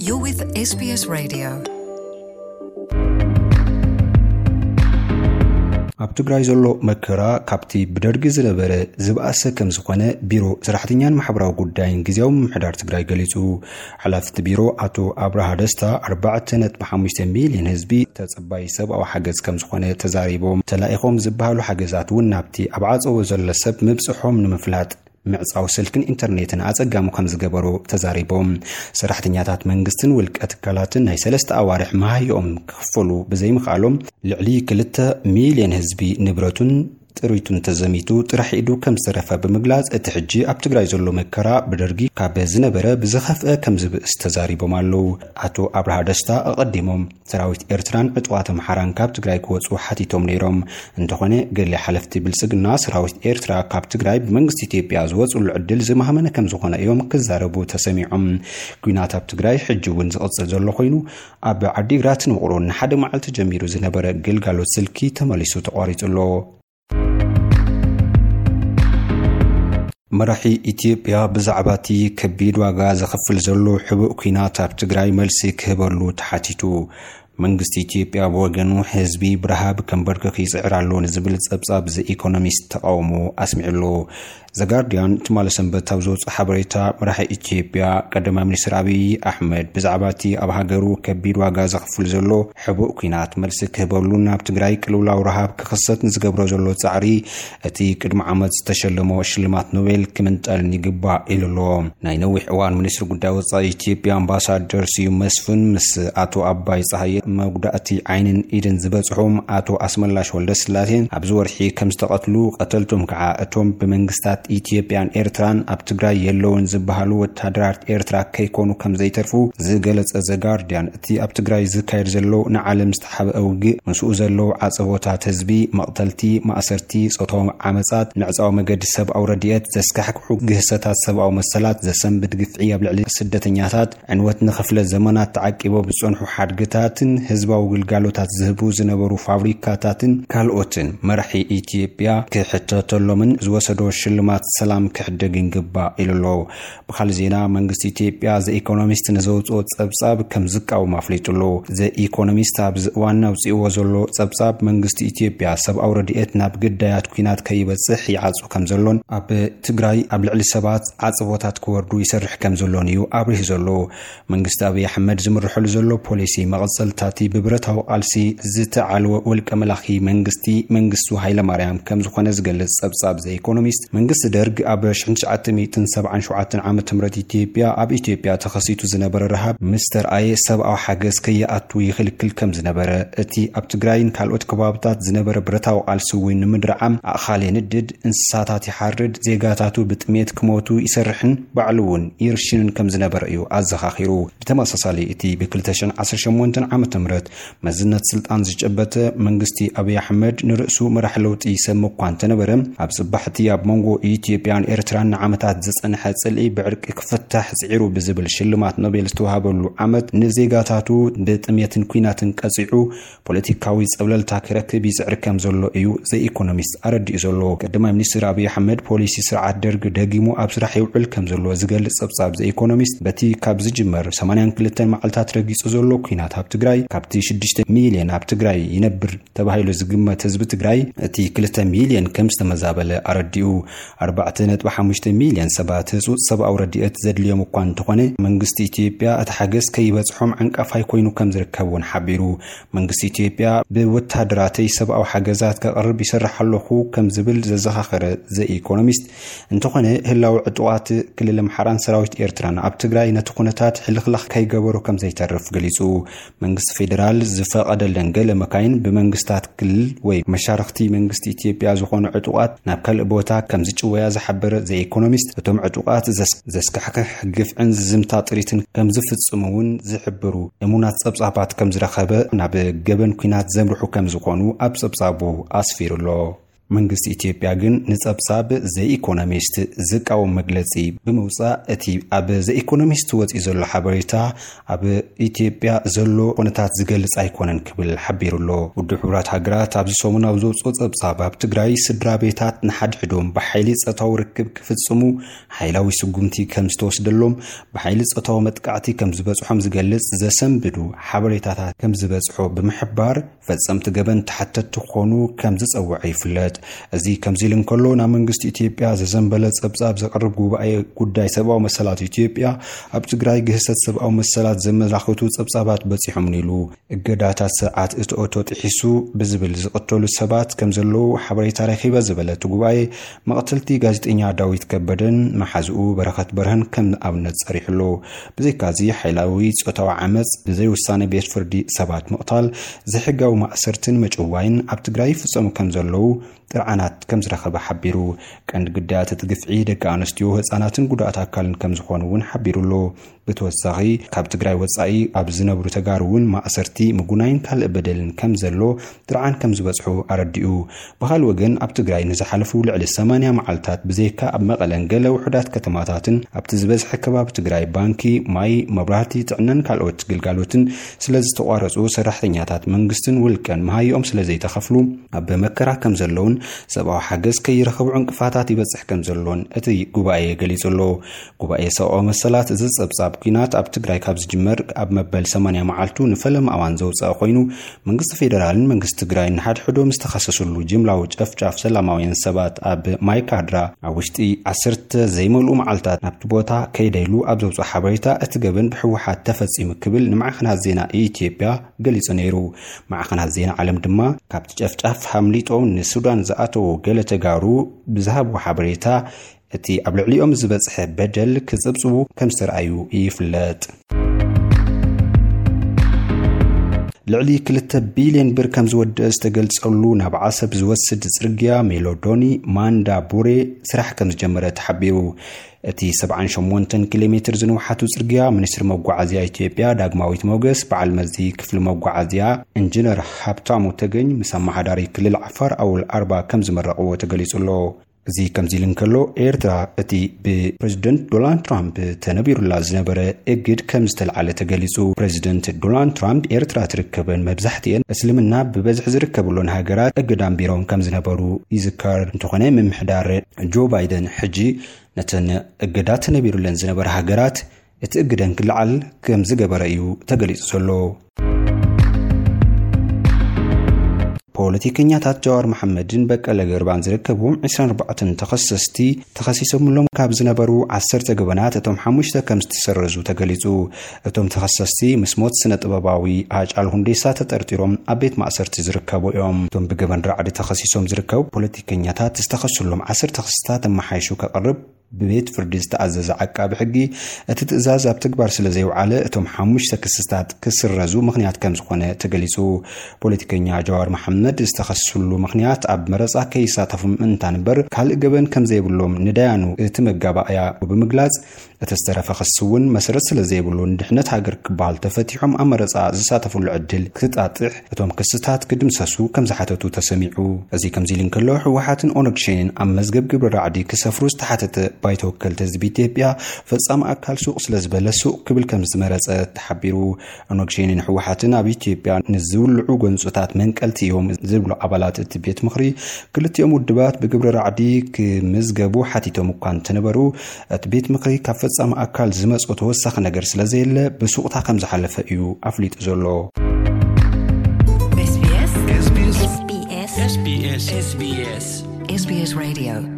You're with S B S Radio. ኣብ ትግራይ ዘሎ መከራ ካብቲ ብደርጊ ዝነበረ ዝበኣሰ ከም ዝኾነ ቢሮ ሰራሕተኛን ማሕበራዊ ጉዳይን ግዝያዊ ምምሕዳር ትግራይ ገሊጹ። ሓላፊ እቲ ቢሮ ኣቶ ኣብርሃ ደስታ፣ ኣርባዕተ ነጥቢ ሓሙሽተ ሚልዮን ህዝቢ ተጸባይ ሰብኣዊ ሓገዝ ከም ዝኾነ ተዛሪቦም። ተላኢኾም ዝበሃሉ ሓገዛት እውን ናብቲ ኣብ ዓጸቦ ዘሎ ሰብ ምብጽሖም ንምፍላጥ ምዕጻው ስልክን ኢንተርኔትን ኣጸጋሚ ከም ዝገበሮ ተዛሪቦም። ሰራሕተኛታት መንግስትን ውልቀ ትካላትን ናይ ሰለስተ ኣዋርሕ መሃይኦም ክኽፈሉ ብዘይምኽኣሎም፣ ልዕሊ ክልተ ሚልዮን ህዝቢ ንብረቱን ጥሪቱን ተዘሚቱ ጥራሕ ኢዱ ከም ዝተረፈ ብምግላጽ፣ እቲ ሕጂ ኣብ ትግራይ ዘሎ መከራ ብደርጊ ካብ ዝነበረ ብዝኸፍአ ከም ዝብእስ ተዛሪቦም ኣለዉ። ኣቶ ኣብርሃ ደስታ ኣቐዲሞም፣ ሰራዊት ኤርትራን ዕጡቓት ኣምሓራን ካብ ትግራይ ክወጹ ሓቲቶም ነይሮም። እንተኾነ፣ ገለ ሓለፍቲ ብልጽግና፣ ሰራዊት ኤርትራ ካብ ትግራይ ብመንግስቲ ኢትዮጵያ ዝወጽሉ ዕድል ዝማህመነ ከም ዝኾነ እዮም ክዛረቡ ተሰሚዖም። ኲናት ኣብ ትግራይ ሕጂ እውን ዝቕጽል ዘሎ ኮይኑ፣ ኣብ ዓዲግራትን ውቕሮን ንሓደ መዓልቲ ጀሚሩ ዝነበረ ግልጋሎት ስልኪ ተመሊሱ ተቋሪጹ ኣሎ። መራሒ ኢትዮጵያ ብዛዕባ እቲ ከቢድ ዋጋ ዘኽፍል ዘሎ ሕቡእ ኲናት ኣብ ትግራይ መልሲ ክህበሉ ተሓቲቱ። መንግስቲ ኢትዮጵያ ብወገኑ፣ ህዝቢ ብረሃብ ከንበርክኽ ይጽዕር ኣሎ ንዝብል ጸብጻብ ዘ ኢኮኖሚስት ተቓውሞ ኣስሚዑ ኣሎ። ዘጋርዲያን ትማሊ ሰንበት ኣብ ዘውፅኦ ሓበሬታ፣ መራሒ ኢትዮጵያ ቀዳማይ ሚኒስትር ኣብይ ኣሕመድ ብዛዕባ እቲ ኣብ ሃገሩ ከቢድ ዋጋ ዘኽፍል ዘሎ ሕቡእ ኲናት መልሲ ክህበሉን ኣብ ትግራይ ቅልውላው ረሃብ ክኽሰት ንዝገብሮ ዘሎ ጻዕሪ እቲ ቅድሚ ዓመት ዝተሸለሞ ሽልማት ኖቤል ክምንጠልን ይግባእ ኢሉ ኣሎ። ናይ ነዊሕ እዋን ሚኒስትሪ ጉዳይ ወጻኢ ኢትዮጵያ ኣምባሳደር ስዩም መስፍን ምስ ኣቶ ኣባይ ጸሃየ መጉዳእቲ ዓይንን ኢድን ዝበጽሖም ኣቶ ኣስመላሽ ወልደስላሴን ኣብዚ ወርሒ ከም ዝተቐትሉ፣ ቀተልቶም ከዓ እቶም ብመንግስታት ኢትዮጵያን ኤርትራን ኣብ ትግራይ የለውን ዝበሃሉ ወታደራት ኤርትራ ከይኮኑ ከም ዘይተርፉ ዝገለጸ ዘጋርዲያን፣ እቲ ኣብ ትግራይ ዝካየድ ዘሎ ንዓለም ዝተሓብአ ውግእ፣ ምስኡ ዘለዉ ዓጸቦታት ህዝቢ፣ መቕተልቲ፣ ማእሰርቲ፣ ጾታዊ ዓመጻት፣ ምዕጻው መገዲ ሰብኣዊ ረድኤት፣ ዘስካሕክሑ ግህሰታት ሰብኣዊ መሰላት፣ ዘሰንብድ ግፍዒ ኣብ ልዕሊ ስደተኛታት፣ ዕንወት ንኽፍለ ዘመናት ተዓቂቦ ብዝጸንሑ ሓድግታትን ህዝባዊ ግልጋሎታት ዝህቡ ዝነበሩ ፋብሪካታትን ካልኦትን መራሒ ኢትዮጵያ ክሕተተሎምን ዝወሰዶ ሽልማት ሰላም ክሕደግ ይግባእ ኢሉ ኣሎ። ብኻልእ ዜና፣ መንግስቲ ኢትዮጵያ ዘ ኢኮኖሚስት ንዘውፅኦ ጸብጻብ ከም ዝቃወም ኣፍሊጡ ኣሎ። ዘ ኢኮኖሚስት ኣብዚ እዋን ኣውፅእዎ ዘሎ ጸብጻብ፣ መንግስቲ ኢትዮጵያ ሰብኣዊ ረድኤት ናብ ግዳያት ኲናት ከይበጽሕ ይዓጹ ከም ዘሎን ኣብ ትግራይ ኣብ ልዕሊ ሰባት ዓጽቦታት ክወርዱ ይሰርሕ ከም ዘሎን እዩ ኣብሪሁ ዘሎ። መንግስቲ ኣብይ ኣሕመድ ዝምርሐሉ ዘሎ ፖሊሲ፣ መቐጸልታ እቲ ብብረታዊ ቃልሲ ዝተዓልወ ውልቀ መላኺ መንግስቲ፣ መንግስቱ ሃይለማርያም ከም ዝኾነ ዝገልጽ ጸብጻብ ዘ ኢኮኖሚስት፣ መንግስቲ ደርግ ኣብ ሺሕ ትሽዓተ ሚእትን ሰብዓን ሸውዓተን ዓመተ ምህረት ኢትዮጵያ፣ ኣብ ኢትዮጵያ ተኸሲቱ ዝነበረ ረሃብ ምስ ተርኣየ፣ ሰብኣዊ ሓገዝ ከይኣቱ ይኽልክል ከም ዝነበረ፣ እቲ ኣብ ትግራይን ካልኦት ከባብታት ዝነበረ ብረታዊ ቃልሲ እውን ንምድርዓም ኣእኻል የንድድ፣ እንስሳታት ይሓርድ፣ ዜጋታቱ ብጥሜት ክሞቱ ይሰርሕን ባዕሉ እውን ይርሽንን ከም ዝነበረ እዩ ኣዘኻኺሩ። ብተመሳሳሊ፣ እቲ ብ ክልተ ሽሕን ዓሰርተ ሸሞንተን ዓመተ ምህረት መዝነት ስልጣን ዝጨበጠ መንግስቲ ኣብይ ኣሕመድ፣ ንርእሱ መራሕ ለውጢ ይሰሚ እኳ እንተነበረ፣ ኣብ ጽባሕቲ ኣብ መንጎ ኢትዮጵያን ኤርትራን ንዓመታት ዝጸንሐ ጽልኢ ብዕርቂ ክፍታሕ ጽዒሩ ብዝብል ሽልማት ኖቤል ዝተዋሃበሉ ዓመት፣ ንዜጋታቱ ብጥሜትን ኲናትን ቀጺዑ ፖለቲካዊ ጸብለልታ ክረክብ ይጽዕር ከም ዘሎ እዩ ዘ ኢኮኖሚስት ኣረዲኡ ዘሎ። ቀዳማይ ሚኒስትር ኣብይ ኣሕመድ፣ ፖሊሲ ስርዓት ደርግ ደጊሙ ኣብ ስራሕ ይውዕል ከም ዘሎ ዝገልጽ ጸብጻብ ዘ ኢኮኖሚስት፣ በቲ ካብ ዝጅመር ሰማንያን ክልተን መዓልታት ረጊጹ ዘሎ ኲናት ኣብ ትግራይ፣ ካብቲ ሽዱሽተ ሚልዮን ኣብ ትግራይ ይነብር ተባሂሉ ዝግመት ህዝቢ ትግራይ፣ እቲ ክልተ ሚልዮን ከም ዝተመዛበለ ኣረዲኡ። ኣርባዕተ ነጥቢ ሓሙሽተ ሚልዮን ሰባት ህጹጽ ሰብኣዊ ረድኤት ዘድልዮም እኳ እንተኾነ፣ መንግስቲ ኢትዮጵያ እቲ ሓገዝ ከይበጽሖም ዓንቃፋይ ኮይኑ ከም ዝርከብ እውን ሓቢሩ። መንግስቲ ኢትዮጵያ፣ "ብወታደራተይ ሰብኣዊ ሓገዛት ከቕርብ ይሰርሕ ኣለኹ" ከም ዝብል ዘዘኻኸረ ዘ ኢኮኖሚስት፣ እንተኾነ ህላው ዕጡቓት ክልል ኣምሓራን ሰራዊት ኤርትራን ኣብ ትግራይ ነቲ ኩነታት ሕልኽላኽ ከይገበሮ ከም ዘይተርፍ ገሊጹ። መንግስቲ ፌደራል ዝፈቐደለን ገለ መካይን ብመንግስታት ክልል ወይ መሻርኽቲ መንግስቲ ኢትዮጵያ ዝኾኑ ዕጡቓት ናብ ካልእ ቦታ ከም ዝጭወያ ዝሓበረ ዘ ኢኮኖሚስት፣ እቶም ዕጡቓት ዘስ-፣ ዘስካሕክሕ ግፍዕን ዝዝምታ ጥሪትን ከም ዝፍጽሙ እውን ዝሕብሩ እሙናት ጸብጻባት ከም ዝረኸበ፣ ናብ ገበን ኲናት ዘምርሑ ከም ዝኾኑ ኣብ ጸብጻቡ ኣስፊሩ ኣሎ። መንግስቲ ኢትዮጵያ ግን ንጸብጻብ ዘ ኢኮኖሚስት ዝቃወም መግለጺ ብምውጻእ፣ እቲ ኣብ ዘ ኢኮኖሚስት ወጺኡ ዘሎ ሓበሬታ ኣብ ኢትዮጵያ ዘሎ ኩነታት ዝገልጽ ኣይኮነን ክብል ሓቢሩ ኣሎ። ውድብ ሕቡራት ሃገራት ኣብዚ ሰሙን ኣብ ዘውጽኦ ጸብጻብ፣ ኣብ ትግራይ ስድራ ቤታት ንሓድሕዶም ብሓይሊ ጾታዊ ርክብ ክፍጽሙ ሓይላዊ ስጉምቲ ከም ዝተወስደሎም፣ ብሓይሊ ጾታዊ መጥቃዕቲ ከም ዝበጽሖም ዝገልጽ ዘሰንብዱ ሓበሬታታት ከም ዝበጽሖ ብምሕባር፣ ፈጸምቲ ገበን ተሓተትቲ ክኾኑ ከም ዝጸውዐ ይፍለጥ። እዚ ከምዚ ኢሉ እንከሎ፣ ናብ መንግስቲ ኢትዮጵያ ዘዘንበለ ጸብጻብ ዘቕርብ ጉባኤ ጉዳይ ሰብኣዊ መሰላት ኢትዮጵያ፣ ኣብ ትግራይ ግህሰት ሰብኣዊ መሰላት ዘመላኽቱ ጸብጻባት በጺሖምን ኢሉ። እገዳታት ስርዓት እቲ ኦቶ ጥሒሱ ብዝብል ዝቕተሉ ሰባት ከም ዘለዉ ሓበሬታ ረኺበ ዝበለ እቲ ጉባኤ፣ መቕተልቲ ጋዜጠኛ ዳዊት ከበደን መሓዝኡ በረኸት በርሀን ከም ኣብነት ጸሪሑ ኣሎ። ብዘይካዚ፣ ሓይላዊ ጾታዊ ዓመጽ፣ ብዘይ ውሳነ ቤት ፍርዲ ሰባት ምቕታል፣ ዘይሕጋዊ ማእሰርትን ምጭዋይን ኣብ ትግራይ ይፍጸሙ ከም ዘለዉ ጥርዓናት ከም ዝረኸበ ሓቢሩ። ቀንዲ ግዳያት እቲ ግፍዒ ደቂ ኣንስትዮ፣ ህጻናትን ጉዳኣት ኣካልን ከም ዝኾኑ እውን ሓቢሩ ኣሎ። ብተወሳኺ፣ ካብ ትግራይ ወጻኢ ኣብ ዝነብሩ ተጋሩ እውን ማእሰርቲ፣ ምጉናይን ካልእ በደልን ከም ዘሎ ጥርዓን ከም ዝበጽሑ ኣረዲኡ። ብኻልእ ወገን፣ ኣብ ትግራይ ንዝሓለፉ ልዕሊ ሰማንያ መዓልታት ብዘይካ ኣብ መቐለን ገለ ውሑዳት ከተማታትን ኣብቲ ዝበዝሐ ከባቢ ትግራይ ባንኪ፣ ማይ፣ መብራህቲ፣ ጥዕናን ካልኦት ግልጋሎትን ስለ ዝተቋረጹ፣ ሰራሕተኛታት መንግስትን ውልቀን መሃይኦም ስለ ዘይተኸፍሉ ኣብ መከራ ከም ዘለውን ሰብኣዊ ሓገዝ ከይረኸቡ ዕንቅፋታት ይበጽሕ ከም ዘሎን እቲ ጉባኤ ገሊጹ ኣሎ። ጉባኤ ሰብኣዊ መሰላት እዚ ጸብጻብ፣ ኲናት ኣብ ትግራይ ካብ ዝጅመር ኣብ መበል ሰማንያ መዓልቱ ንፈለማ እዋን ዘውጸአ ኮይኑ፣ መንግስቲ ፌደራልን መንግስቲ ትግራይን ንሓድሕዶም ዝተኸሰስሉ ጅምላዊ ጨፍጫፍ ሰላማውያን ሰባት ኣብ ማይካድራ፣ ኣብ ውሽጢ ዓሰርተ ዘይመልኡ መዓልታት ናብቲ ቦታ ከይደ ኢሉ ኣብ ዘውጽኦ ሓበሬታ፣ እቲ ገበን ብህወሓት ተፈጺሙ ክብል ንማዕኸናት ዜና ኢትዮጵያ ገሊጹ ነይሩ። ማዕኸናት ዜና ዓለም ድማ፣ ካብቲ ጨፍጫፍ ኣምሊጦም ንሱዳን ዝኣተዉ ገለ ተጋሩ ብዝሃብዎ ሓበሬታ፣ እቲ ኣብ ልዕሊኦም ዝበጽሐ በደል ክጽብጽቡ ከም ዝተርኣዩ ይፍለጥ። ልዕሊ ክልተ ቢልዮን ብር ከም ዝወደእ ዝተገልጸሉ ናብ ዓሰብ ዝወስድ ጽርግያ ሜሎዶኒ ማንዳ ቡሬ ስራሕ ከም ዝጀመረ ተሓቢሩ። እቲ ሰብዓን ሸሞንተን ኪሎ ሜትር ዝንውሓቱ ጽርግያ፣ ሚኒስትሪ መጓዓዝያ ኢትዮጵያ ዳግማዊት ሞገስ፣ በዓል መዚ ክፍሊ መጓዓዝያ ኢንጂነር ሃብታሙ ተገኝ ምስ ኣመሓዳሪ ክልል ዓፋር ኣወል ኣርባ ከም ዝመረቕዎ ተገሊጹ ኣሎ። እዚ ከምዚ ኢሉ እንከሎ፣ ኤርትራ እቲ ብፕሬዚደንት ዶናልድ ትራምፕ ተነቢሩላ ዝነበረ እግድ ከም ዝተልዓለ ተገሊጹ። ፕሬዚደንት ዶናልድ ትራምፕ፣ ኤርትራ ትርከበን መብዛሕትኤን እስልምና ብበዝሒ ዝርከብሎን ሃገራት እግድ ኣንቢሮም ከም ዝነበሩ ይዝከር። እንተኾነ፣ ምምሕዳር ጆ ባይደን ሕጂ ነተን እገዳ ተነቢሩለን ዝነበረ ሃገራት እቲ እግደን ክልዓል ከም ዝገበረ እዩ ተገሊጹ ዘሎ። ፖለቲከኛታት ጀዋር መሓመድን በቀለ ገርባን ዝርከብዎም ዕስራን ኣርባዕተን ተኸሰስቲ፣ ተኸሲሶምሎም ካብ ዝነበሩ ዓሰርተ ገበናት እቶም ሓሙሽተ ከም ዝተሰረዙ ተገሊጹ። እቶም ተኸሰስቲ፣ ምስ ሞት ስነ ጥበባዊ ሃጫሉ ሁንዴሳ ተጠርጢሮም ኣብ ቤት ማእሰርቲ ዝርከቡ እዮም። እቶም ብገበን ራዕዲ ተኸሲሶም ዝርከቡ ፖለቲከኛታት፣ ዝተኸሱሎም ዓሰርተ ክስታት ኣመሓይሹ ከቕርብ ብቤት ፍርዲ ዝተኣዘዘ ዓቃቢ ሕጊ፣ እቲ ትእዛዝ ኣብ ተግባር ስለ ዘይውዓለ፣ እቶም ሓሙሽተ ክስታት ክስረዙ ምኽንያት ከም ዝኾነ ተገሊጹ። ፖለቲከኛ ጀዋር መሓመድ ዝተኸስሉ ምኽንያት፣ ኣብ መረጻ ከይሳተፉ ምእንታን እምበር፣ ካልእ ገበን ከም ዘይብሎም ንዳያኑ እቲ መጋባእያ ብምግላጽ፣ እቲ ዝተረፈ ክሲ እውን መሰረት ስለ ዘይብሉ፣ ንድሕነት ሃገር ክበሃል ተፈቲሖም ኣብ መረጻ ዝሳተፍሉ ዕድል ክጣጥሕ፣ እቶም ክስታት ክድምሰሱ ከም ዝሓተቱ ተሰሚዑ። እዚ ከምዚ ኢሉ እንከሎ፣ ህወሓትን ኦነግ ሸኔን ኣብ መዝገብ ግብሪ ራዕዲ ክሰፍሩ ዝተሓተተ ባይቶ ወከልቲ ህዝቢ ኢትዮጵያ፣ ፈጻሚ ኣካል ሱቕ ስለ ዝበለ፣ ሱቕ ክብል ከም ዝመረጸ ተሓቢሩ። ኦነግ ሸኔን ህወሓትን ኣብ ኢትዮጵያ ንዝውልዑ ጎንጽታት መንቀልቲ እዮም ዝብሉ ኣባላት እቲ ቤት ምኽሪ፣ ክልቲኦም ውድባት ብግብሪ ራዕዲ ክምዝገቡ ሓቲቶም እኳ እንተነበሩ፣ እቲ ቤት ምኽሪ ካብ ፈጻሚ ኣካል ዝመጾ ተወሳኺ ነገር ስለ ዘየለ፣ ብሱቕታ ከም ዝሓለፈ እዩ ኣፍሊጡ ዘሎ። SBS SBS SBS SBS SBS Radio